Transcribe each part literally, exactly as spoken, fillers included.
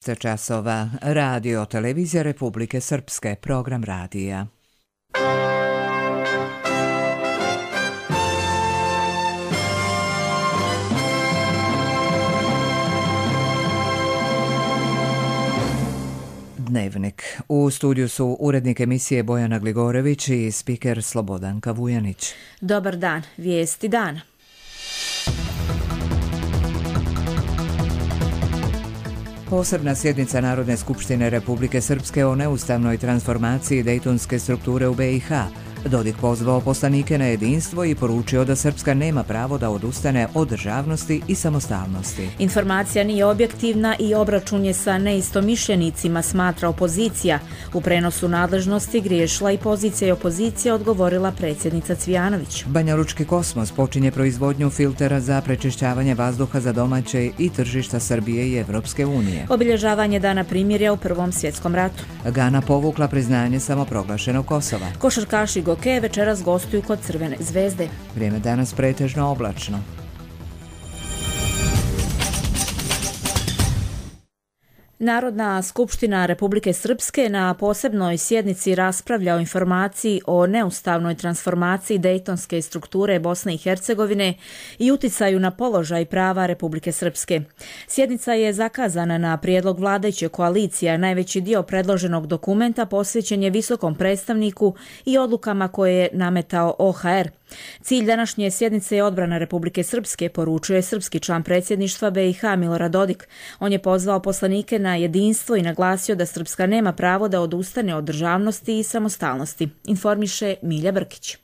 časova. Radio Televizija Republike Srpske, program radija. Dnevnik. U studiju su urednik emisije Bojana Gligorević i spiker Slobodanka Vujanić. Dobar dan, vijesti dana. Posebna sjednica Narodne skupštine Republike Srpske o neustavnoj transformaciji dejtonske strukture u be i ha. Dodik pozvao poslanike na jedinstvo i poručio da Srpska nema pravo da odustane od državnosti i samostalnosti. Informacija nije objektivna i obračun je sa neistomišljenicima, smatra opozicija. U prenosu nadležnosti griješila i pozicija i opozicija, odgovorila predsjednica Cvijanović. Banjalučki kosmos počinje proizvodnju filtera za prečišćavanje vazduha za domaće i tržišta Srbije i Evropske unije. Obilježavanje dana primirja u Prvom svjetskom ratu. Gana povukla priznanje samoproglašenog Kosova. Košarkaši Goke večeras gostuju kod Crvene zvezde. Vrijeme danas pretežno oblačno. Narodna skupština Republike Srpske na posebnoj sjednici raspravlja o informaciji o neustavnoj transformaciji dejtonske strukture Bosne i Hercegovine i uticaju na položaj prava Republike Srpske. Sjednica je zakazana na prijedlog vladajuće koalicije, a najveći dio predloženog dokumenta posvećen je visokom predstavniku i odlukama koje je nametao o ha er. Cilj današnje sjednice je odbrana Republike Srpske, poručuje srpski član predsjedništva be i ha Milorad Dodik. On je pozvao poslanike na jedinstvo i naglasio da Srpska nema pravo da odustane od državnosti i samostalnosti, informiše Milja Brkić.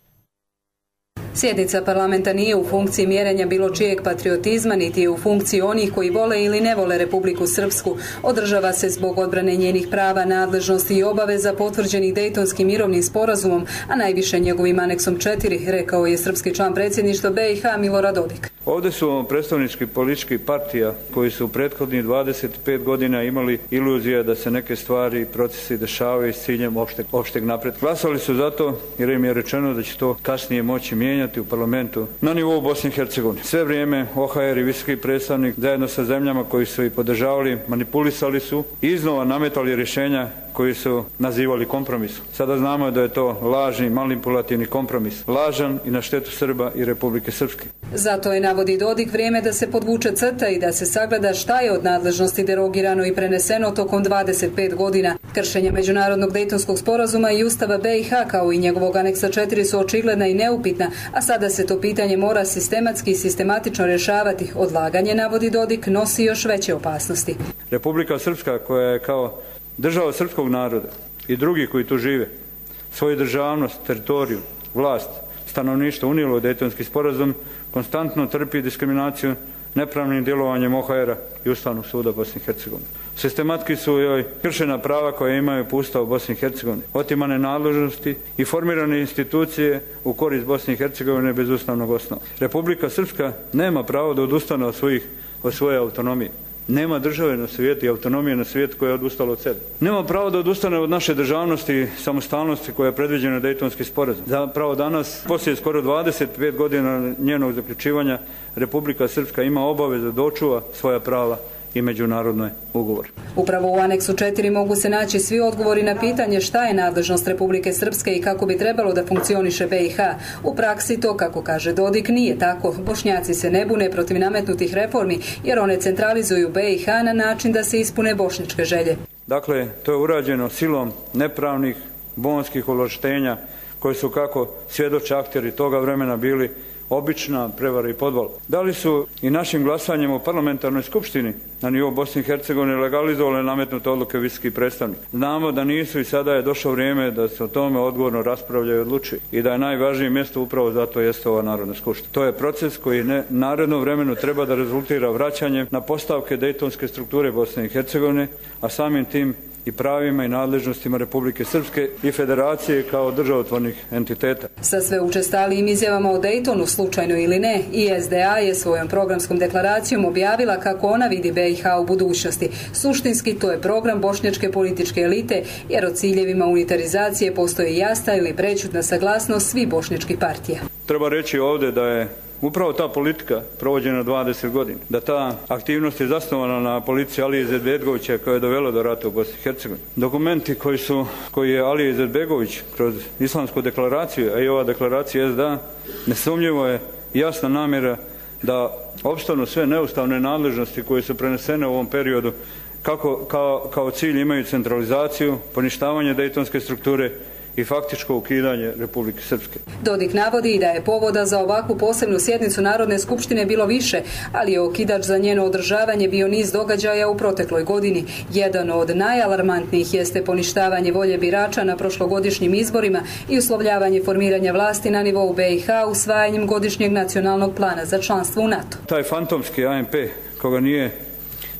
Sjednica parlamenta nije u funkciji mjerenja bilo čijeg patriotizma, niti je u funkciji onih koji vole ili ne vole Republiku Srpsku. Održava se zbog odbrane njenih prava, nadležnosti i obaveza potvrđenih Dejtonskim mirovnim sporazumom, a najviše njegovim aneksom četiri, rekao je srpski član predsjedništva be i ha Milorad Dodik. Ovdje su predstavnički političkih partija koji su u prethodnih dvadeset pet godina imali iluzija da se neke stvari i procesi dešavaju s ciljem opšteg, opšteg napretka. Glasali su zato jer im je rečeno da će to kasnije moći mijenjati u parlamentu na nivou Bosne i Hercegovine. Sve vrijeme o ha er i visoki predstavnik zajedno sa zemljama koji su ih podržavali manipulisali su i iznova nametali rješenja koji su nazivali kompromisom. Sada znamo da je to lažni, manipulativni kompromis. Lažan i na štetu Srba i Republike Srpske. Zato je, navodi Dodik, vrijeme da se podvuče crta i da se sagleda šta je od nadležnosti derogirano i preneseno tokom dvadeset pet godina. Kršenje međunarodnog Dejtonskog sporazuma i Ustava be i ha kao i njegovog aneksa četiri su očigledna i neupitna, a sada se to pitanje mora sistematski i sistematično rješavati. Odlaganje, navodi Dodik, nosi još veće opasnosti. Republika Srpska, koja je kao država srpskog naroda i drugi koji tu žive, svoju državnost, teritoriju, vlast, stanovništvo unijelo u Dejtonski sporazum, konstantno trpi diskriminaciju nepravnim djelovanjem o ha era i Ustavnog suda Bosne i Hercegovine. Sistematski su joj kršena prava koje imaju po Ustavu Bosne i Hercegovine, otimane nadležnosti i formirane institucije u korist Bosne i Hercegovine bez ustavnog osnova. Republika Srpska nema pravo da odustane od, svojih, od svoje autonomije. Nema države na svijetu i autonomije na svijetu koja je odustala od sebe. Nema pravo da odustane od naše državnosti i samostalnosti koja je predviđena Dejtonski sporazum. Zapravo danas, poslije skoro dvadeset pet godina njenog zaključivanja, Republika Srpska ima obavezu da očuva svoja prava i međunarodne ugovore. Upravo u aneksu četiri mogu se naći svi odgovori na pitanje šta je nadležnost Republike Srpske i kako bi trebalo da funkcioniše be i ha. U praksi to, kako kaže Dodik, nije tako. Bošnjaci se ne bune protiv nametnutih reformi jer one centralizuju be i ha na način da se ispune bošnjačke želje. Dakle, to je urađeno silom nepravnih bonskih ovlaštenja koji su, kako svjedoče akteri toga vremena, bili obična prevara i podvala. Da li su i našim glasanjem u parlamentarnoj skupštini na nivou Bosne i Hercegovine legalizovale nametnute odluke visokih predstavnika? Znamo da nisu i sada je došlo vrijeme da se o tome odgovorno raspravlja i odlučuje i da je najvažnije mjesto upravo zato jeste ova Narodna skupština. To je proces koji ne, narednom vremenu treba da rezultira vraćanjem na postavke dejtonske strukture Bosne i Hercegovine, a samim tim i pravima i nadležnostima Republike Srpske i Federacije kao državotvornih entiteta. Sa sve učestalijim izjavama o Dejtonu, slučajno ili ne, i es de a je svojom programskom deklaracijom objavila kako ona vidi be i ha u budućnosti. Suštinski to je program bošnjačke političke elite, jer o ciljevima unitarizacije postoji jasna ili prečutna saglasnost svih bošnjačkih partija. Treba reći ovdje da je Upravo ta politika provođena dvadeset godina, da ta aktivnost je zasnovana na politici Alije Izetbegovića koja je dovela do rata u Bosni i Hercegovini. Dokumenti koji su, koji je Alija Izetbegović kroz Islamsku deklaraciju, a i ova deklaracija S D A, nesumnjivo je jasna namjera da opstanu sve neustavne nadležnosti koje su prenesene u ovom periodu, kako kao, kao cilj imaju centralizaciju, poništavanje dejtonske strukture i faktičko ukidanje Republike Srpske. Dodik navodi i da je povoda za ovakvu posebnu sjednicu Narodne skupštine bilo više, ali je okidač za njeno održavanje bio niz događaja u protekloj godini. Jedan od najalarmantnijih jeste poništavanje volje birača na prošlogodišnjim izborima i uslovljavanje formiranja vlasti na nivou B i H usvajanjem godišnjeg nacionalnog plana za članstvo u NATO. Taj fantomski A N P, koga nije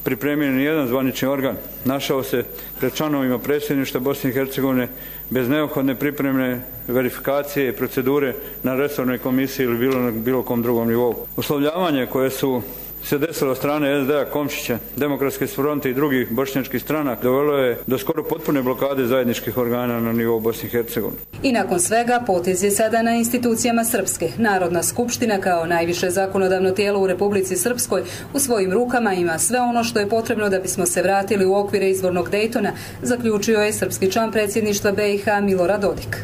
pripremio ni jedan zvanični organ, našao se pred članovima predsjedništva Bosne i Hercegovine bez neophodne pripremne verifikacije i procedure na resornoj komisiji ili bilo na bilo kom drugom nivou. Uslovljavanje koje su se desilo od strane S D A, Komšića, Demokratske fronte i drugih bošnjačkih stranaka dovelo je do skoro potpune blokade zajedničkih organa na nivou Bosne i Hercegovine. I nakon svega potez je sada na institucijama Srpske. Narodna skupština kao najviše zakonodavno tijelo u Republici Srpskoj u svojim rukama ima sve ono što je potrebno da bismo se vratili u okvire izvornog Dejtona, zaključio je srpski član predsjedništva B i H Milorad Dodik.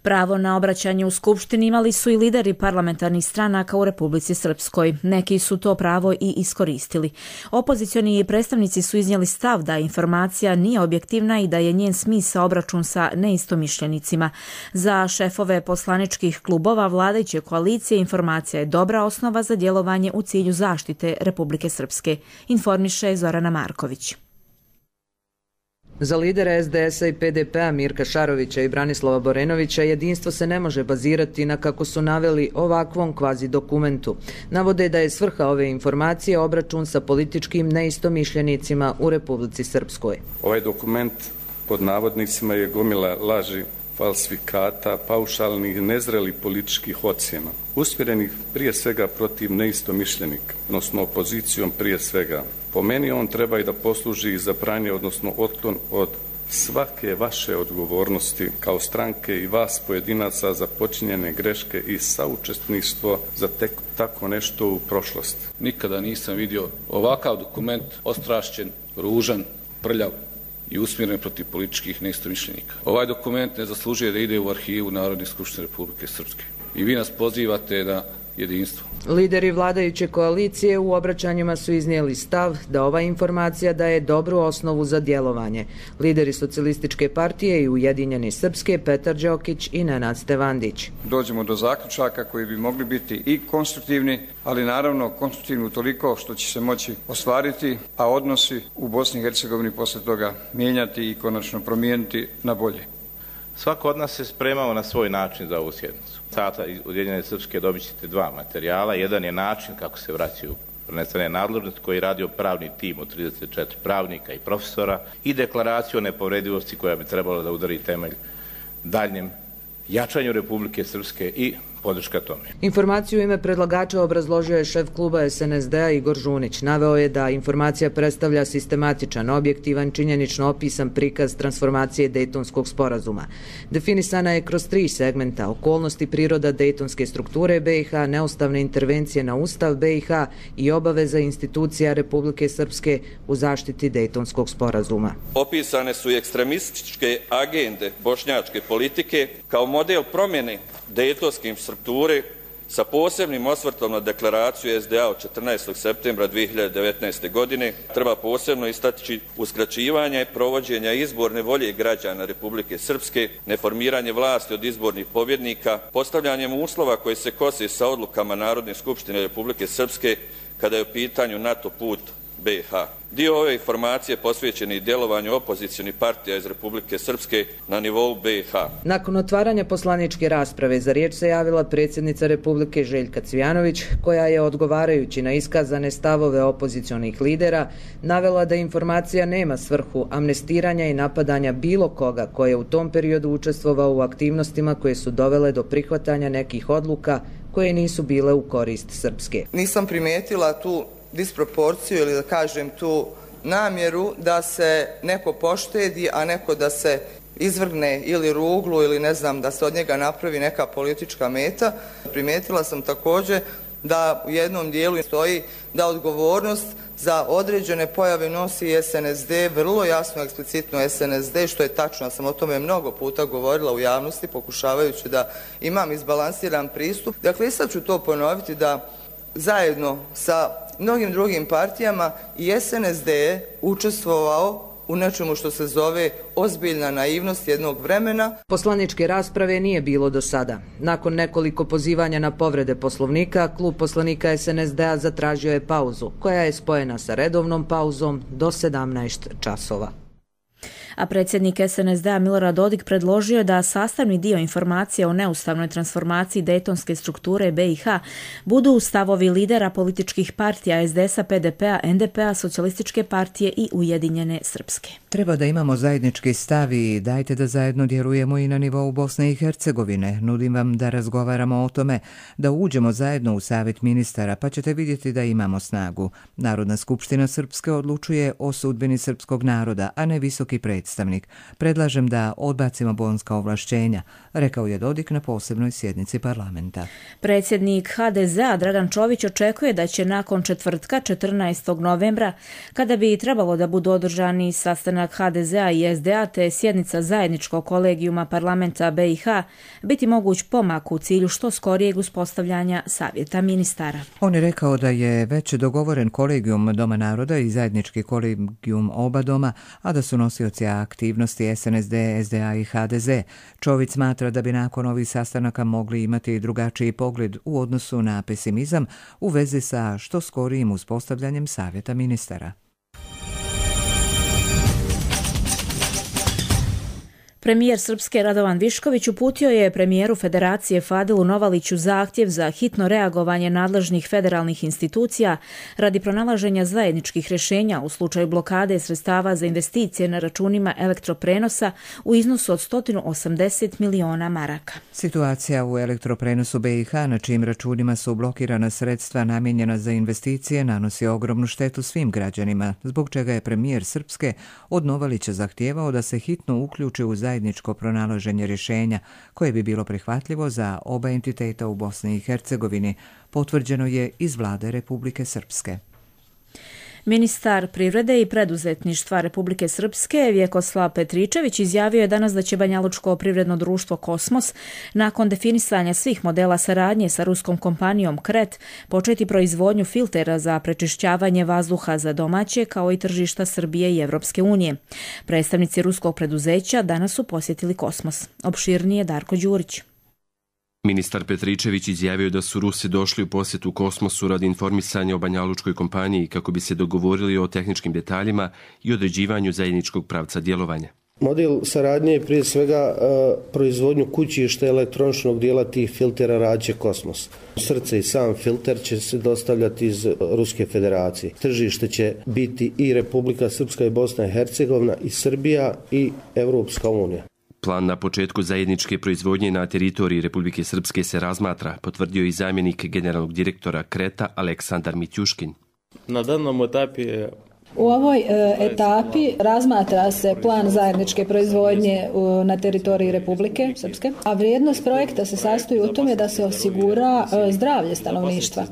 Pravo na obraćanje u Skupštini imali su i lideri parlamentarnih stranaka u Republici Srpskoj. Neki su to pravo i iskoristili. Opozicioni predstavnici su iznijeli stav da informacija nije objektivna i da je njen smisao obračun sa neistomišljenicima. Za šefove poslaničkih klubova vladajuće koalicije informacija je dobra osnova za djelovanje u cilju zaštite Republike Srpske, informiše Zorana Marković. Za lidera S D S-a i P D P-a Mirka Šarovića i Branislava Borenovića jedinstvo se ne može bazirati na, kako su naveli, ovakvom kvazi dokumentu. Navode da je svrha ove informacije obračun sa političkim neistomišljenicima u Republici Srpskoj. Ovaj dokument pod navodnicima je gomila laži, falsifikata, paušalnih, nezrelih političkih ocjena, usmjerenih prije svega protiv neistomišljenika, odnosno opozicijom prije svega. Po meni on treba i da posluži za pranje, odnosno otklon od svake vaše odgovornosti kao stranke i vas pojedinaca za počinjene greške i saučesništvo za tek tako nešto u prošlosti. Nikada nisam vidio ovakav dokument ostrašćen, ružan, prljav i usmjeren protiv političkih neistomišljenika. Ovaj dokument ne zaslužuje da ide u arhivu Narodne skupštine Republike Srpske. I vi nas pozivate na jedinstvo. Lideri vladajuće koalicije u obraćanjima su iznijeli stav da ova informacija daje dobru osnovu za djelovanje. Lideri Socijalističke partije i Ujedinjene Srpske Petar Đokić i Nenad Stevandić. Dođemo do zaključaka koji bi mogli biti i konstruktivni, ali naravno konstruktivni utoliko što će se moći ostvariti, a odnosi u Bosni i Hercegovini posle toga mijenjati i konačno promijeniti na bolje. Svako od nas se spremao na svoj način za ovu sjednicu. Sada iz Ujedinjene Srpske dobit ćete dva materijala. Jedan je način kako se vraćaju prenesene nadležnosti koji je radio pravni tim od trideset četiri pravnika i profesora i deklaraciju o nepovredivosti koja bi trebala da udari temelj daljnjem jačanju Republike Srpske i podrška tome. Informaciju u ime predlagača obrazložio je šef kluba S N S D-a Igor Žunić. Naveo je da informacija predstavlja sistematičan, objektivan, činjenično opisan prikaz transformacije Dejtonskog sporazuma. Definisana je kroz tri segmenta: okolnosti, priroda dejtonske strukture B i H, neustavne intervencije na Ustav B i H i obaveza institucija Republike Srpske u zaštiti Dejtonskog sporazuma. Opisane su i ekstremističke agende bošnjačke politike kao model promjene dejtonske strukture sa posebnim osvrtom na deklaraciju S D A od četrnaestog septembra dvije hiljade devetnaeste. godine. Treba posebno istaći uskraćivanje provođenja izborne volje građana Republike Srpske, neformiranje vlasti od izbornih pobjednika, postavljanjem uslova koji se kose sa odlukama Narodne skupštine Republike Srpske kada je u pitanju NATO put B i H. Dio ove informacije posvećen je i djelovanju opozicionih partija iz Republike Srpske na nivou B i H. Nakon otvaranja poslaničke rasprave za riječ se javila predsjednica Republike Željka Cvijanović, koja je, odgovarajući na iskazane stavove opozicionih lidera, navela da informacija nema svrhu amnestiranja i napadanja bilo koga ko je u tom periodu učestvovao u aktivnostima koje su dovele do prihvatanja nekih odluka koje nisu bile u korist Srpske. Nisam primijetila tu disproporciju ili da kažem tu namjeru da se neko poštedi, a neko da se izvrgne ili ruglu ili ne znam da se od njega napravi neka politička meta. Primijetila sam također da u jednom dijelu stoji da odgovornost za određene pojave nosi S N S D, vrlo jasno, eksplicitno S N S D, što je tačno. Ja sam o tome mnogo puta govorila u javnosti, pokušavajući da imam izbalansiran pristup. Dakle, i sad ću to ponoviti da zajedno sa mnogim drugim partijama i S N S D je učestvovao u nečemu što se zove ozbiljna naivnost jednog vremena. Poslaničke rasprave nije bilo do sada. Nakon nekoliko pozivanja na povrede Poslovnika, klub poslanika S N S D-a zatražio je pauzu, koja je spojena sa redovnom pauzom do sedamnaest časova. A predsjednik S N S D-a Milorad Dodik predložio je da sastavni dio informacija o neustavnoj transformaciji dejtonske strukture B i H budu stavovi lidera političkih partija S D S-a, P D P-a, N D P-a, Socijalističke partije i Ujedinjene Srpske. Treba da imamo zajednički stav i dajte da zajedno djelujemo i na nivou Bosne i Hercegovine. Nudim vam da razgovaramo o tome, da uđemo zajedno u savjet ministara, pa ćete vidjeti da imamo snagu. Narodna skupština Srpske odlučuje o sudbini srpskog naroda, a ne visoki predstavnik. Predlažem da odbacimo bonska ovlašćenja, rekao je Dodik na posebnoj sjednici parlamenta. Predsjednik H D Z-a Dragan Čović očekuje da će nakon četvrtka četrnaestog novembra, kada bi trebalo da budu održani sastanak H D Z-a i S D A te sjednica zajedničkog kolegijuma parlamenta B i H, biti moguć pomak u cilju što skorijeg uspostavljanja savjeta ministara. On je rekao da je već dogovoren kolegijum Doma naroda i zajednički kolegijum oba doma, a da su nosioci aktivnosti S N S D, S D A i H D Z. Čović smatra da bi nakon ovih sastanaka mogli imati drugačiji pogled u odnosu na pesimizam u vezi sa što skorijim uspostavljanjem savjeta ministara. Premijer Srpske Radovan Višković uputio je premijeru Federacije Fadilu Novaliću zahtjev za hitno reagovanje nadležnih federalnih institucija radi pronalaženja zajedničkih rješenja u slučaju blokade sredstava za investicije na računima elektroprenosa u iznosu od sto osamdeset miliona maraka. Situacija u elektroprenosu B i H, na čijim računima su blokirana sredstva namijenjena za investicije, nanosi ogromnu štetu svim građanima, zbog čega je premijer Srpske od Novalića zahtijevao da se hitno uključi u zajedničko pronalaženje rješenja koje bi bilo prihvatljivo za oba entiteta u Bosni i Hercegovini, potvrđeno je iz vlade Republike Srpske. Ministar privrede i preduzetništva Republike Srpske Vjekoslav Petričević izjavio je danas da će Banjalučko privredno društvo Kosmos nakon definisanja svih modela saradnje sa ruskom kompanijom Kret početi proizvodnju filtera za prečišćavanje vazduha za domaće kao i tržišta Srbije i Evropske unije. Predstavnici ruskog preduzeća danas su posjetili Kosmos. Opširnije Darko Đurić. Ministar Petričević izjavio da su Rusi došli u posjetu Kosmosu radi informisanja o banjalučkoj kompaniji kako bi se dogovorili o tehničkim detaljima i određivanju zajedničkog pravca djelovanja. Model saradnje je prije svega uh, proizvodnju kućišta elektroničnog dijela tih filtera rađe Kosmos. Srce i sam filter će se dostavljati iz Ruske federacije. Tržište će biti i Republika Srpska i Bosna i Hercegovina i Srbija i Evropska unija. Plan na početku zajedničke proizvodnje na teritoriji Republike Srpske se razmatra, potvrdio i zamjenik generalnog direktora Kreta Aleksandar Mitjuškin. Na danom etapi je U ovoj e, etapi razmatra se plan zajedničke proizvodnje u, na teritoriji Republike Srpske, a vrijednost projekta se sastoji u tome da se osigura e, zdravlje stanovništva.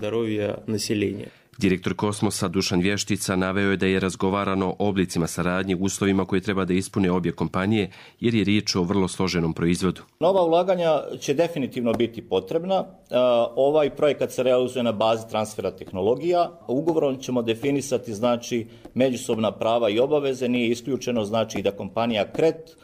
Direktor Kosmosa Dušan Vještica naveo je da je razgovarano o oblicima saradnje u uslovima koje treba da ispune obje kompanije, jer je riječ o vrlo složenom proizvodu. Nova ulaganja će definitivno biti potrebna. Ovaj projekat se realizuje na bazi transfera tehnologija. Ugovorom ćemo definisati znači međusobna prava i obaveze. Nije isključeno znači da kompanija Kret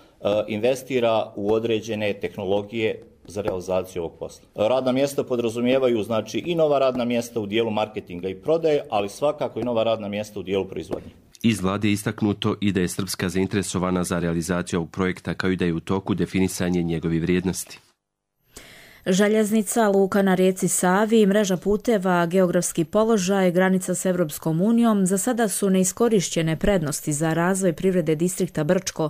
investira u određene tehnologije za realizaciju ovog posla. Radna mjesta podrazumijevaju znači i nova radna mjesta u dijelu marketinga i prodaje, ali svakako i nova radna mjesta u dijelu proizvodnje. Iz vlade je istaknuto i da je Srpska zainteresovana za realizaciju ovog projekta, kao i da je u toku definisanje njegove vrijednosti. Željeznica, luka na rijeci Savi i mreža puteva, geografski položaj, granica s Evropskom unijom za sada su neiskorišćene prednosti za razvoj privrede distrikta Brčko.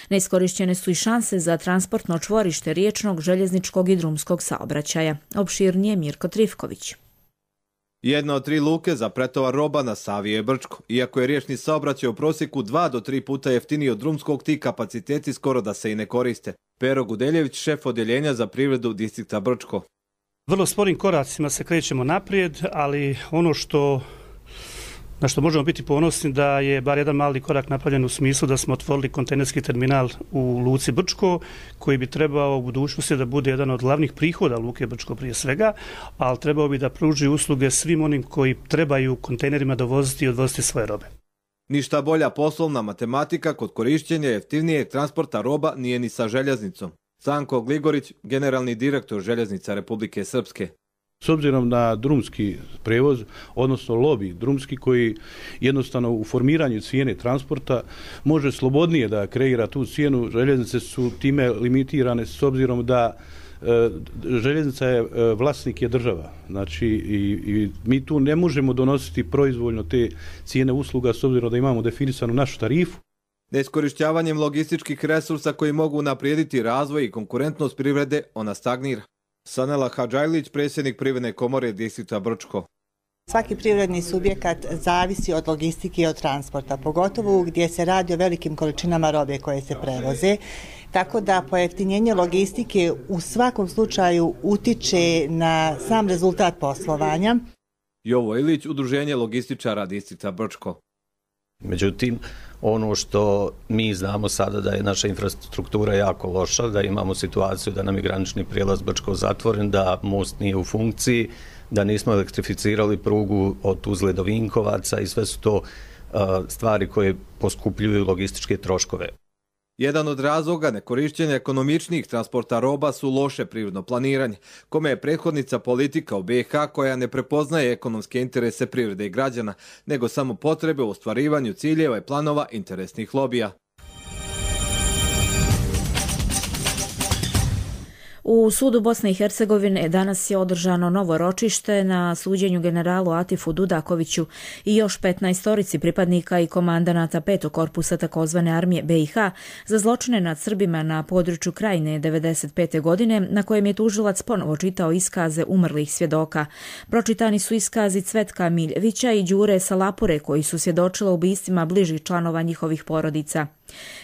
Neiskorišćene su i šanse za transportno čvorište riječnog, željezničkog i drumskog saobraćaja. Opširnije Mirko Trifković. Jedna od tri luke za pretovar roba na Savi je Brčko. Iako je riječni saobraćaj u prosjeku dva do tri puta jeftiniji od drumskog, ti kapaciteti skoro da se i ne koriste. Pero Gudeljević, šef odjeljenja za privredu distrikta Brčko. Vrlo sporim koracima se krećemo naprijed, ali ono što na što možemo biti ponosni da je bar jedan mali korak napravljen u smislu da smo otvorili kontejnerski terminal u luci Brčko, koji bi trebao u budućnosti da bude jedan od glavnih prihoda luke Brčko prije svega, ali trebao bi da pruži usluge svim onim koji trebaju kontejnerima dovoziti i odvoziti svoje robe. Ništa bolja poslovna matematika kod korišćenja jeftinijeg transporta roba nije ni sa željeznicom. Sanko Gligorić, generalni direktor Željeznica Republike Srpske. S obzirom na drumski prevoz, odnosno lobi drumski koji jednostavno u formiranju cijene transporta može slobodnije da kreira tu cijenu, željeznice su time limitirane s obzirom da e, željeznica je e, vlasnik je država. Znači i, i mi tu ne možemo donositi proizvoljno te cijene usluga s obzirom da imamo definisanu našu tarifu. Neiskorišćavanjem logističkih resursa koji mogu unaprijediti razvoj i konkurentnost privrede, ona stagnira. Sanela Hadžajlić, predsjednik Privredne komore distrikta Brčko. Svaki privredni subjekat zavisi od logistike i od transporta, pogotovo gdje se radi o velikim količinama robe koje se prevoze. Tako da pojeftinjenje logistike u svakom slučaju utiče na sam rezultat poslovanja. Jovo Ilić, Udruženje logističara distrikta Brčko. Međutim, ono što mi znamo sada da je naša infrastruktura jako loša, da imamo situaciju da nam je granični prijelaz Brčko zatvoren, da most nije u funkciji, da nismo elektrificirali prugu od Tuzle do Vinkovaca i sve su to uh, stvari koje poskupljuju logističke troškove. Jedan od razloga nekorišćenja ekonomičnijih transporta roba su loše privredno planiranje, kome je prethodnica politika u B i H koja ne prepoznaje ekonomske interese privrede i građana, nego samo potrebe u ostvarivanju ciljeva i planova interesnih lobija. U sudu Bosne i Hercegovine danas je održano novo ročište na suđenju generalu Atifu Dudakoviću i još petnaestorici pripadnika i komandanata petog korpusa takozvane armije B i H za zločine nad Srbima na području Krajine devedeset pete godine, na kojem je tužilac ponovo čitao iskaze umrlih svjedoka. Pročitani su iskazi Cvetka Miljevića i Đure Salapure, koji su svjedočili ubistvima bližih članova njihovih porodica.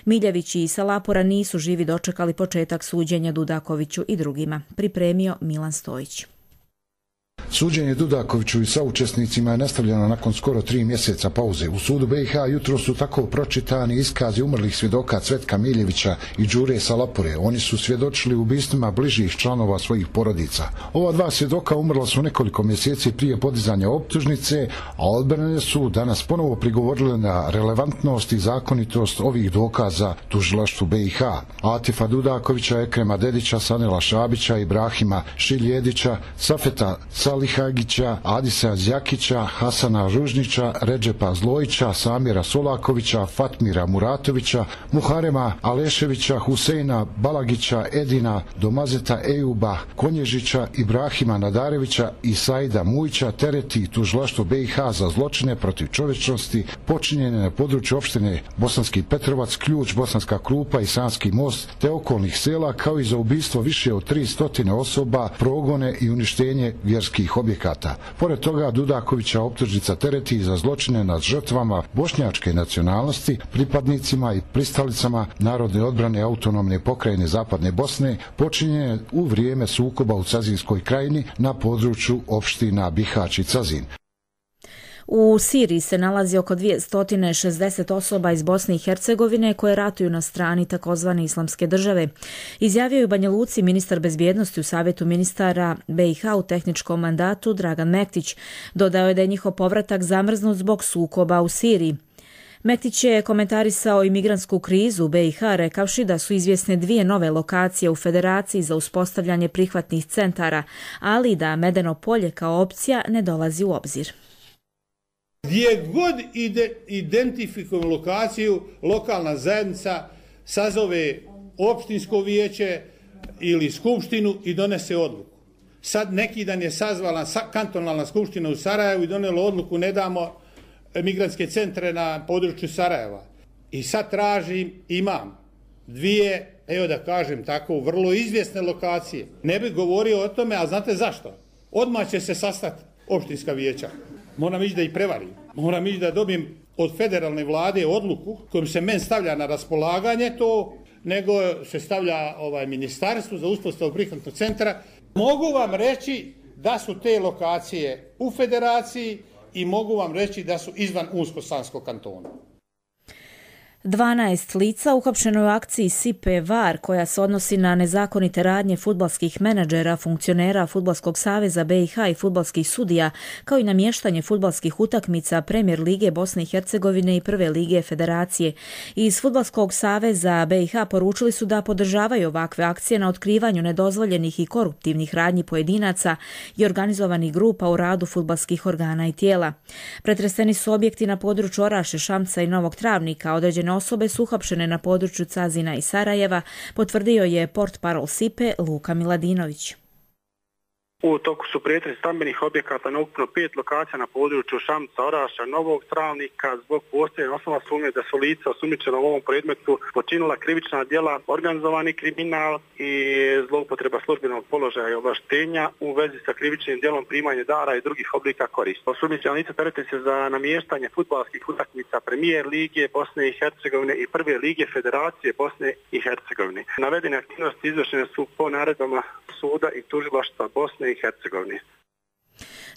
Miljević i Salapura nisu živi dočekali početak suđenja Dudakoviću i drugima. Pripremio Milan Stojić. Suđenje Dudakoviću i saučesnicima je nastavljeno nakon skoro tri mjeseca pauze. U sudu B i H jutro su tako pročitani iskazi umrlih svjedoka Cvetka Miljevića i Đure Salapure. Oni su svjedočili ubistvima bližih članova svojih porodica. Ova dva svjedoka umrla su nekoliko mjeseci prije podizanja optužnice, a odbrane su danas ponovo prigovorile na relevantnost i zakonitost ovih dokaza tužilaštvu B i H. Atifa Dudakovića, Ekrema Dedića, Sanela Šabića, Ibrahima Šiljedića, Safeta Salihagića, Adisa Zjakića, Hasana Ružnića, Redžepa Zlojića, Samira Solakovića, Fatmira Muratovića, Muharema Aleševića, Huseina Balagića, Edina Domazeta Ejuba, Konježića, Ibrahima Nadarevića i Saida Mujića tereti tužilaštvo B i H za zločine protiv čovječnosti počinjene na području opštine Bosanski Petrovac, Ključ, Bosanska Krupa i Sanski most te okolnih sela, kao i za ubistvo više od tri stotine osoba, progone i uništenje vjerskih objekata. Pored toga, Dudakovića optužnica tereti za zločine nad žrtvama bošnjačke nacionalnosti, pripadnicima i pristalicama Narodne odbrane autonomne pokrajine Zapadne Bosne, počinjene u vrijeme sukoba u Cazinskoj krajini na području opština Bihać i Cazin. U Siriji se nalazi oko dvjesto šezdeset osoba iz Bosne i Hercegovine koje ratuju na strani takozvane islamske države. Izjavio je Banja Luci ministar bezbjednosti u Savjetu ministara B i H u tehničkom mandatu Dragan Mektić. Dodao je da je njihov povratak zamrznut zbog sukoba u Siriji. Mektić je komentarisao imigrantsku krizu u B i H rekavši da su izvjesne dvije nove lokacije u Federaciji za uspostavljanje prihvatnih centara, ali da Medeno polje kao opcija ne dolazi u obzir. Gdje god ide, identifikujemo lokaciju, lokalna zajednica sazove opštinsko vijeće ili skupštinu i donese odluku. Sad neki dan je sazvala kantonalna skupština u Sarajevu i donijela odluku ne damo migrantske centre na području Sarajeva. I sad tražim, imam dvije, evo da kažem tako, vrlo izvjesne lokacije. Ne bih govorio o tome, ali znate zašto? Odmah će se sastati opštinska vijeća. Moram ići da ih prevarim. Moram ići da dobijem od federalne vlade odluku kojom se men stavlja na raspolaganje to, nego se stavlja ovaj ministarstvo za uspostavu prihvatnog centra. Mogu vam reći da su te lokacije u federaciji i mogu vam reći da su izvan Unsko-Sanskog kantona. dvanaest lica uhapšeno je u akciji Sipe Var koja se odnosi na nezakonite radnje fudbalskih menadžera, funkcionera Fudbalskog saveza B i H i fudbalskih sudija, kao i namještanje fudbalskih utakmica Premijer lige Bosne i Hercegovine i Prve lige Federacije. Iz Fudbalskog saveza B i H poručili su da podržavaju ovakve akcije na otkrivanju nedozvoljenih i koruptivnih radnji pojedinaca i organizovanih grupa u radu fudbalskih organa i tijela. Pretreseni su objekti na području Oraše, Šamca i Novog Travnika, određene osobe su uhapšene na području Cazina i Sarajeva, potvrdio je portparol Sipe Luka Miladinović. U toku su pretresi stambenih objekata na ukupno pet lokacija na području Šamca, Oraša, Novog Travnika zbog postojanja osnova sumnje da su lica osumnjičena u ovom predmetu počinila krivična djela, organizovani kriminal i zloupotreba službenog položaja i ovlaštenja u vezi sa krivičnim djelom primanje dara i drugih oblika koristi. Osumnjičena lica terete se za namještanje fudbalskih utakmica Premijer lige Bosne i Hercegovine i Prve lige Federacije Bosne i Hercegovine. Navedene aktivnosti izvršene su po naredbama suda i tužilaštva Bosne i Hercegovine.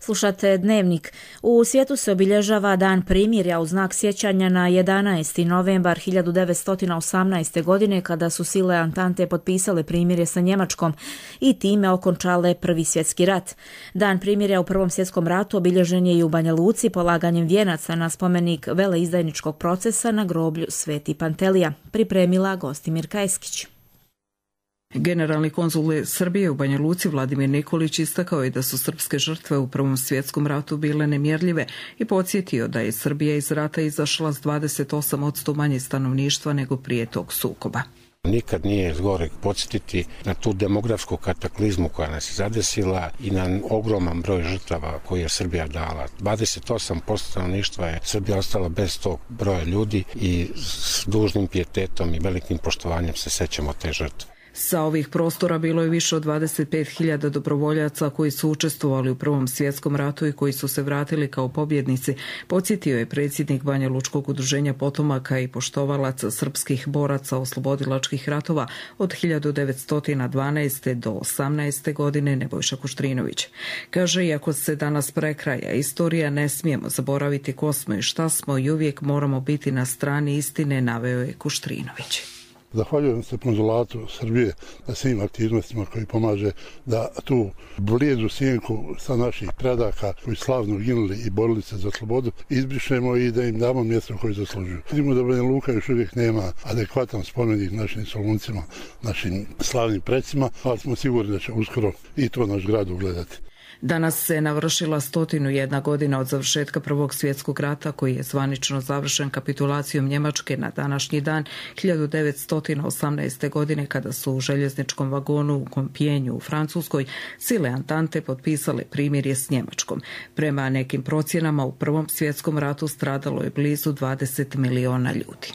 Slušate Dnevnik. U svijetu se obilježava Dan primirja u znak sjećanja na jedanaesti novembar hiljadu devetsto osamnaeste. godine kada su sile Antante potpisale primirje sa Njemačkom i time okončale Prvi svjetski rat. Dan primirja u Prvom svjetskom ratu obilježen je i u Banja Luci polaganjem vijenaca na spomenik veleizdajničkog procesa na groblju Sveti Pantelija. Pripremila Gostimir Kajskić. Generalni konzul Srbije u Banja Luci Vladimir Nikolić istakao je da su srpske žrtve u Prvom svjetskom ratu bile nemjerljive i podsjetio da je Srbija iz rata izašla s dvadeset osam posto manje stanovništva nego prije tog sukoba. Nikad nije zgoreg podsjetiti na tu demografsku kataklizmu koja nas je zadesila i na ogroman broj žrtava koje je Srbija dala. dvadeset osam posto stanovništva je Srbija ostala bez tog broja ljudi i s dužnim pijetetom i velikim poštovanjem se sećamo te žrtve. Sa ovih prostora bilo je više od dvadeset pet hiljada dobrovoljaca koji su učestvovali u Prvom svjetskom ratu i koji su se vratili kao pobjednici, podsjetio je predsjednik Banja Lučkog udruženja potomaka i poštovalaca srpskih boraca oslobodilačkih ratova od hiljadu devetsto dvanaeste. do osamnaeste. godine Nebojša Kuštrinović. Kaže, iako se danas prekraja istorija, ne smijemo zaboraviti ko smo i šta smo i uvijek moramo biti na strani istine, naveo je Kuštrinović. Zahvaljujem se konzulatu Srbije na svim aktivnostima koji pomaže da tu blijedu sjenku sa naših predaka koji slavno ginuli i borili se za slobodu izbrišemo i da im damo mjesto koje zaslužuju. Vidimo da Banja Luka još uvijek nema adekvatan spomenik našim soluncima, našim slavnim predsima, ali smo sigurni da će uskoro i to naš grad ugledati. Danas se navršila stotinu jedna godina od završetka Prvog svjetskog rata koji je zvanično završen kapitulacijom Njemačke na današnji dan hiljadu devetsto osamnaeste. godine kada su u željezničkom vagonu u Kompijenju u Francuskoj sile Antante potpisale primirje s Njemačkom. Prema nekim procjenama u Prvom svjetskom ratu stradalo je blizu dvadeset miliona ljudi.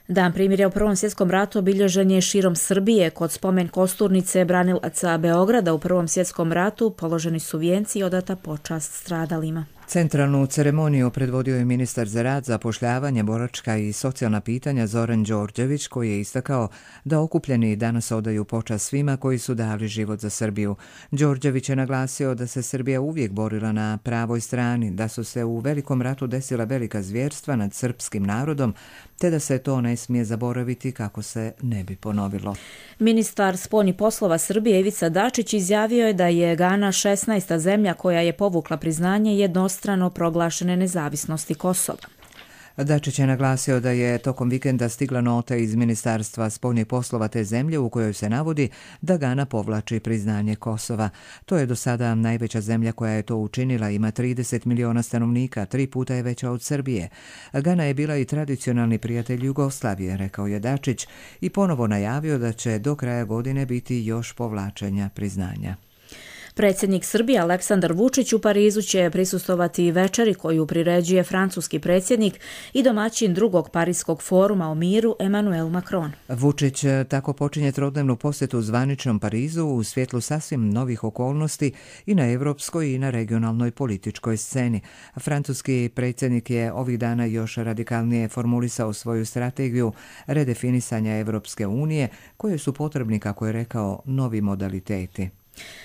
Dan primirja u Prvom svjetskom ratu obilježen je širom Srbije. Kod spomen kosturnice branilaca Beograda u Prvom svjetskom ratu položeni su vijenci i odata počast stradalima. Centralnu ceremoniju predvodio je ministar za rad, zapošljavanje, boračka i socijalna pitanja Zoran Đorđević, koji je istakao da okupljeni danas odaju počast svima koji su dali život za Srbiju. Đorđević je naglasio da se Srbija uvijek borila na pravoj strani, da su se u Velikom ratu desila velika zvjerstva nad srpskim narodom, te da se to ne smije zaboraviti kako se ne bi ponovilo. Ministar spoljnih poslova Srbije Ivica Dačić izjavio je da je Gana šesnaesta zemlja koja je povukla priznanje jednostrano proglašene nezavisnosti Kosova. Dačić je naglasio da je tokom vikenda stigla nota iz Ministarstva spoljnih poslova te zemlje u kojoj se navodi da Gana povlači priznanje Kosova. To je do sada najveća zemlja koja je to učinila, ima trideset miliona stanovnika, tri puta je veća od Srbije. Gana je bila i tradicionalni prijatelj Jugoslavije, rekao je Dačić i ponovo najavio da će do kraja godine biti još povlačenja priznanja. Predsjednik Srbije Aleksandar Vučić u Parizu će prisustovati večeri koju priređuje francuski predsjednik i domaćin drugog Parijskog foruma o miru Emmanuel Macron. Vučić tako počinje trodnevnu posjetu zvaničnom Parizu u svjetlu sasvim novih okolnosti i na evropskoj i na regionalnoj političkoj sceni. Francuski predsjednik je ovih dana još radikalnije formulisao svoju strategiju redefinisanja Evropske unije, koje su potrebni, kako je rekao, novi modaliteti.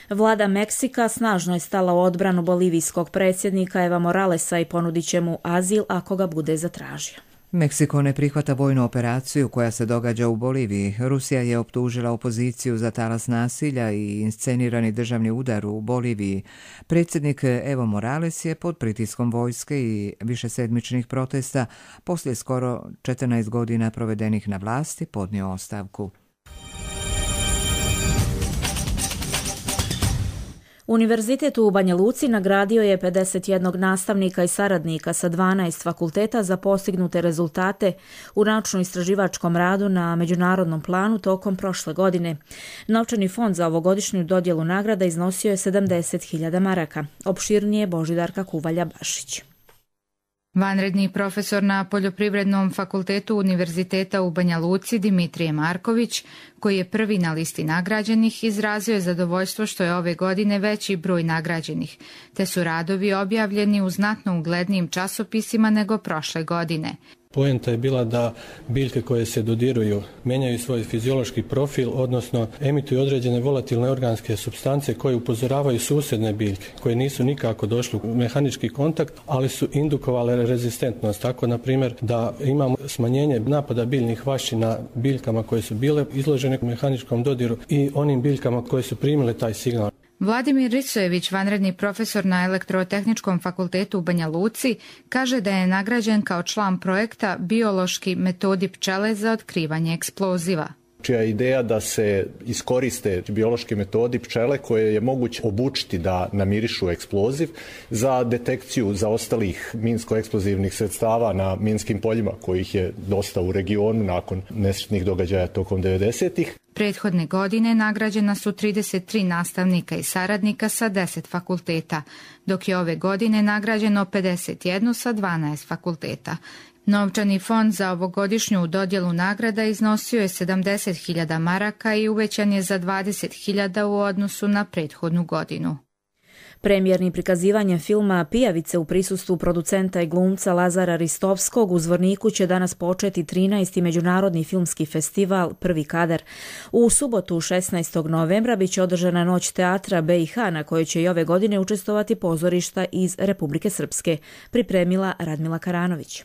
Vlada Meksika snažno je stala u odbranu bolivijskog predsjednika Eva Moralesa i ponudit će mu azil ako ga bude zatražio. Meksiko ne prihvata vojnu operaciju koja se događa u Boliviji. Rusija je optužila opoziciju za talas nasilja i inscenirani državni udar u Boliviji. Predsjednik Evo Morales je pod pritiskom vojske i višesedmičnih protesta poslije skoro četrnaest godina provedenih na vlasti podnio ostavku. Univerzitet u Banja Luci nagradio je pedeset jedan nastavnika i saradnika sa dvanaest fakulteta za postignute rezultate u naučno-istraživačkom radu na međunarodnom planu tokom prošle godine. Novčani fond za ovogodišnju dodjelu nagrada iznosio je sedamdeset hiljada maraka. Opširnije Božidarka Kuvalja-Bašić. Vanredni profesor na Poljoprivrednom fakultetu Univerziteta u Banja Luci Dimitrije Marković, koji je prvi na listi nagrađenih, izrazio je zadovoljstvo što je ove godine veći broj nagrađenih, te su radovi objavljeni u znatno uglednijim časopisima nego prošle godine. Poenta je bila da biljke koje se dodiruju menjaju svoj fiziološki profil, odnosno emituju određene volatilne organske supstance koje upozoravaju susjedne biljke, koje nisu nikako došli u mehanički kontakt, ali su indukovale rezistentnost. Tako, na primjer, da imamo smanjenje napada biljnih vaši na biljkama koje su bile izložene mehaničkom dodiru i onim biljkama koje su primile taj signal. Vladimir Risojević, vanredni profesor na Elektrotehničkom fakultetu u Banja Luci, kaže da je nagrađen kao član projekta Biološki metodi pčele za otkrivanje eksploziva. Čija je ideja da se iskoriste biološki metodi pčele koje je moguće obučiti da namirišu eksploziv za detekciju zaostalih minsko-eksplozivnih sredstava na minskim poljima, kojih je dosta u regionu nakon nesretnih događaja tokom devedesetih. Prethodne godine nagrađena su trideset tri nastavnika i saradnika sa deset fakulteta, dok je ove godine nagrađeno pedeset jedan sa dvanaest fakulteta. Novčani fond za ovogodišnju dodjelu nagrada iznosio je sedamdeset hiljada maraka i uvećan je za dvadeset hiljada u odnosu na prethodnu godinu. Premijernim prikazivanjem filma Pijavice u prisustvu producenta i glumca Lazara Ristovskog u Zvorniku će danas početi trinaesti Međunarodni filmski festival Prvi kadar. U subotu šesnaestog novembra biće održana Noć teatra B i H na kojoj će i ove godine učestvovati pozorišta iz Republike Srpske, pripremila Radmila Karanović.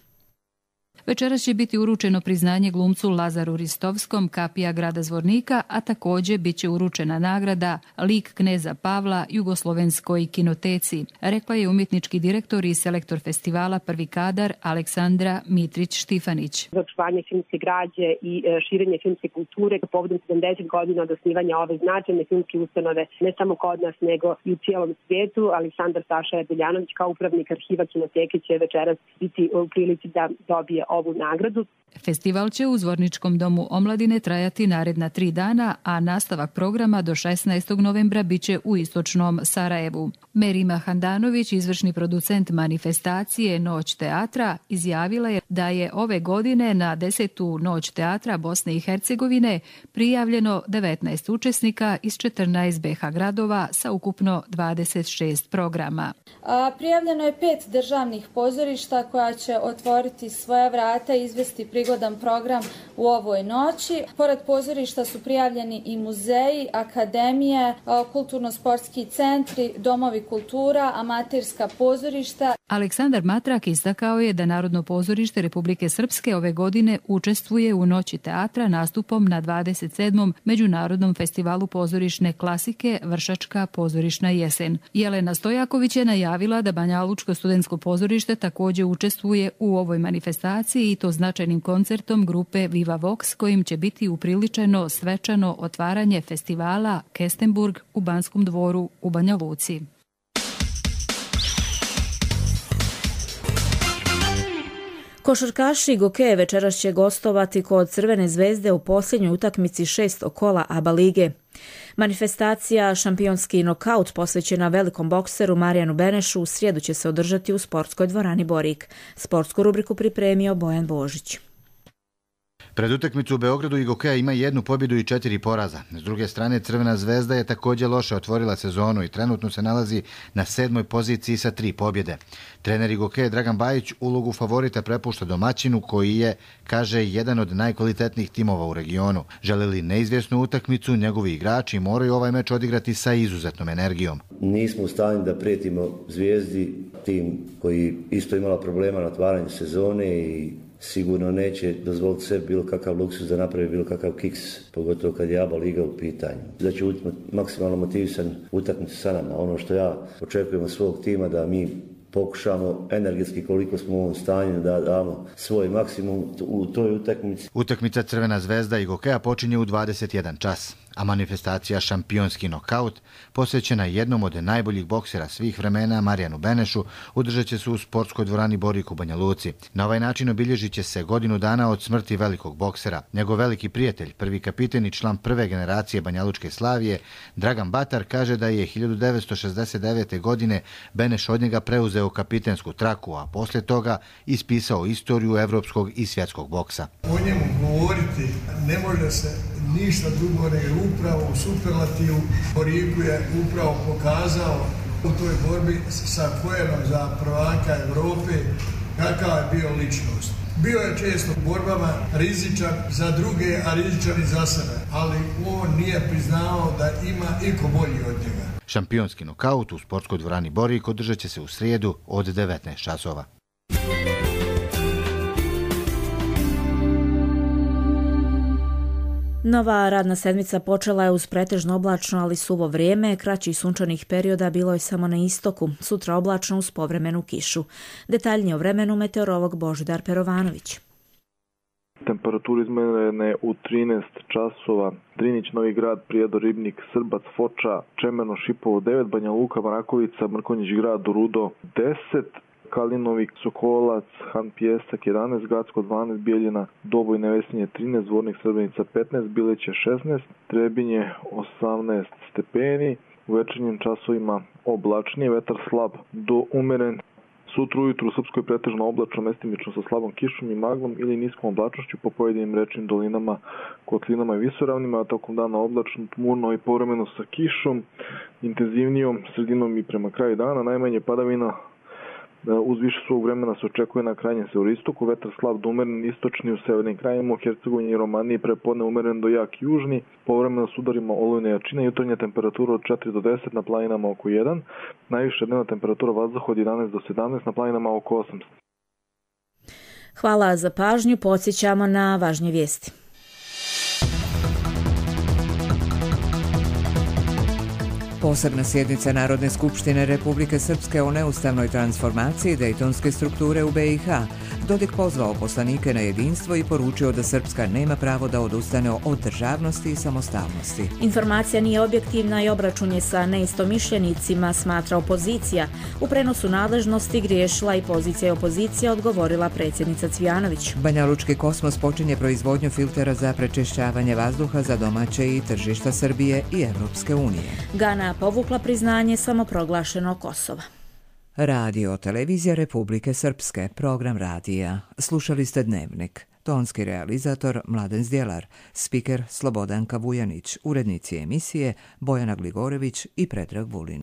Večeras će biti uručeno priznanje glumcu Lazaru Ristovskom, kapija grada Zvornika, a također bit će uručena nagrada Lik kneza Pavla Jugoslovenskoj kinoteci, rekla je umjetnički direktor i selektor festivala Prvi kadar Aleksandra Mitrić-Štifanić. Za očuvanje filmske građe i širenje filmske kulture povodom sedamdeset godina od osnivanja ove značajne filmske ustanove, ne samo kod nas nego i u cijelom svijetu, Aleksandar Saša Jadeljanović kao upravnik arhiva kinoteke će večeras biti u prilici da dobije ovu nagradu. Festival će u Zvorničkom domu omladine trajati naredna tri dana, a nastavak programa do šesnaestog novembra biće u istočnom Sarajevu. Merima Handanović, izvršni producent manifestacije Noć teatra, izjavila je da je ove godine na desetu Noć teatra Bosne i Hercegovine prijavljeno devetnaest učesnika iz četrnaest B H gradova sa ukupno dvadeset šest programa. A, prijavljeno je pet državnih pozorišta koja će otvoriti svoja vrata i izvesti prigodan program u ovoj noći. Pored pozorišta su prijavljeni i muzeji, akademije, kulturno-sportski centri, domovi kultura, amaterska pozorišta. Aleksandar Matrak istakao je da Narodno pozorište Republike Srpske ove godine učestvuje u Noći teatra nastupom na dvadeset sedmom Međunarodnom festivalu pozorišne klasike Vršačka pozorišna jesen. Jelena Stojaković je najavila da Banjalučko studentsko pozorište također učestvuje u ovoj manifestaciji i to značajnim koncertom grupe Viva Vox, kojim će biti upriličeno svečano otvaranje festivala Kestenburg u Banskom dvoru u Banja Luci. Košarkaši Gokeje večeras će gostovati kod Crvene zvezde u posljednjoj utakmici šestog kola A B A lige. Manifestacija Šampionski nokaut posvećena velikom bokseru Marijanu Benešu u srijedu će se održati u sportskoj dvorani Borik. Sportsku rubriku pripremio Bojan Božić. Pred utakmicu u Beogradu i Gokeja ima jednu pobjedu i četiri poraza. S druge strane, Crvena zvezda je također loše otvorila sezonu i trenutno se nalazi na sedmoj poziciji sa tri pobjede. Trener i Gokeje Dragan Bajić ulogu favorita prepušta domaćinu koji je, kaže, jedan od najkvalitetnijih timova u regionu. Žele li neizvjesnu utakmicu, njegovi igrači moraju ovaj meč odigrati sa izuzetnom energijom. Nismo u stanju da prijetimo Zvijezdi, tim koji isto imala problema na otvaranju sezone i sigurno neće dozvoliti sebi bilo kakav luksuz da napravi bilo kakav kiks, pogotovo kad je A B A liga u pitanju. Da će biti maksimalno motivisan utakmicu sa nama. Ono što ja očekujem od svog tima da mi pokušamo energetski koliko smo u ovom stanju da damo svoj maksimum u toj utakmici. Utakmica Crvena zvezda i Gokeja počinje u dvadeset jedan čas, a manifestacija Šampionski nokaut, posvećena jednom od najboljih boksera svih vremena Marijanu Benešu, održat će se u sportskoj dvorani Borik u Banja Luci. Na ovaj način obilježit će se godinu dana od smrti velikog boksera. Njegov veliki prijatelj, prvi kapiten i član prve generacije banjalučke Slavije, Dragan Batar, kaže da je hiljadu devetsto šezdeset devete. godine Beneš od njega preuzeo kapitensku traku, a poslije toga ispisao istoriju evropskog i svjetskog boksa. O njemu govoriti ne može se ništa drugo nego upravo u superlativu. Boriku je upravo pokazao u toj borbi sa Kojenom za prvaka Evrope kakva je bio ličnost. Bio je često u borbama rizičan za druge, a rizičan i za sebe, ali on nije priznao da ima iko bolji od njega. Šampionski nokaut u sportskoj dvorani Borik održat će se u srijedu od devetnaest časova. Nova radna sedmica počela je uz pretežno oblačno, ali suvo vrijeme. Kraćih sunčanih perioda bilo je samo na istoku. Sutra oblačno uz povremenu kišu. Detaljnije o vremenu meteorolog Božidar Perovanović. Temperatura izmjerena u trinaest časova. Drinić, Novi Grad, Prijedor, Ribnik, Srbac, Foča, Čemerno, Šipovo devet, Banja Luka, Mrakovica, Mrkonjić Grad, Rudo deset, Kalinovik, Sokolac, Han Pjesak jedanaest, Gacko dvanaest, Bijeljina, Doboj, Nevesinje trinaest, Zvornik, Srbenica petnaest, Bileće šesnaest, Trebinje osamnaest stepeni, u večernjim časovima oblačnije, vetar slab do umeren. Sutra ujutru u Srpskoj pretežno oblačno, mestimično sa slabom kišom i maglom ili niskom oblačnošću po pojedinim rečnim dolinama, kotlinama i visoravnima, a tokom dana oblačno, tmurno i povremeno sa kišom, intenzivnijom sredinom i prema kraju dana, najmanje padavina uz više svog vremena se očekuje na krajnjem severistoku, vetar slab do umeren, istočni u severnim krajima, u Hercegovini i Romaniji prepodne umeren do jak južni, povremeno s udarima olujne jačine, jutarnja temperatura od četiri do deset, na planinama oko jedan, najviša dnevna temperatura vazduha od jedanaest do sedamnaest, na planinama oko osam. Hvala za pažnju, podsjećamo na važnje vijesti. Posebna sjednica Narodne skupštine Republike Srpske o neustavnoj transformaciji dejtonske strukture u B i H. Dodik pozvao poslanike na jedinstvo i poručio da Srpska nema pravo da odustane od državnosti i samostalnosti. Informacija nije objektivna i obračun je sa neistomišljenicima, smatra opozicija. U prenosu nadležnosti griješila i pozicija i opozicija, odgovorila predsjednica Cvijanović. Banjalučki Kosmos počinje proizvodnju filtera za prečišćavanje vazduha za domaće i tržišta Srbije i Evropske unije. Gana povukla priznanje samoproglašenog Kosova. Radio Televizija Republike Srpske, program radija. Slušali ste Dnevnik. Tonski realizator Mladen Zdjelar, spiker Slobodanka Vujanić, urednici emisije Bojana Gligorević i Predrag Vulin.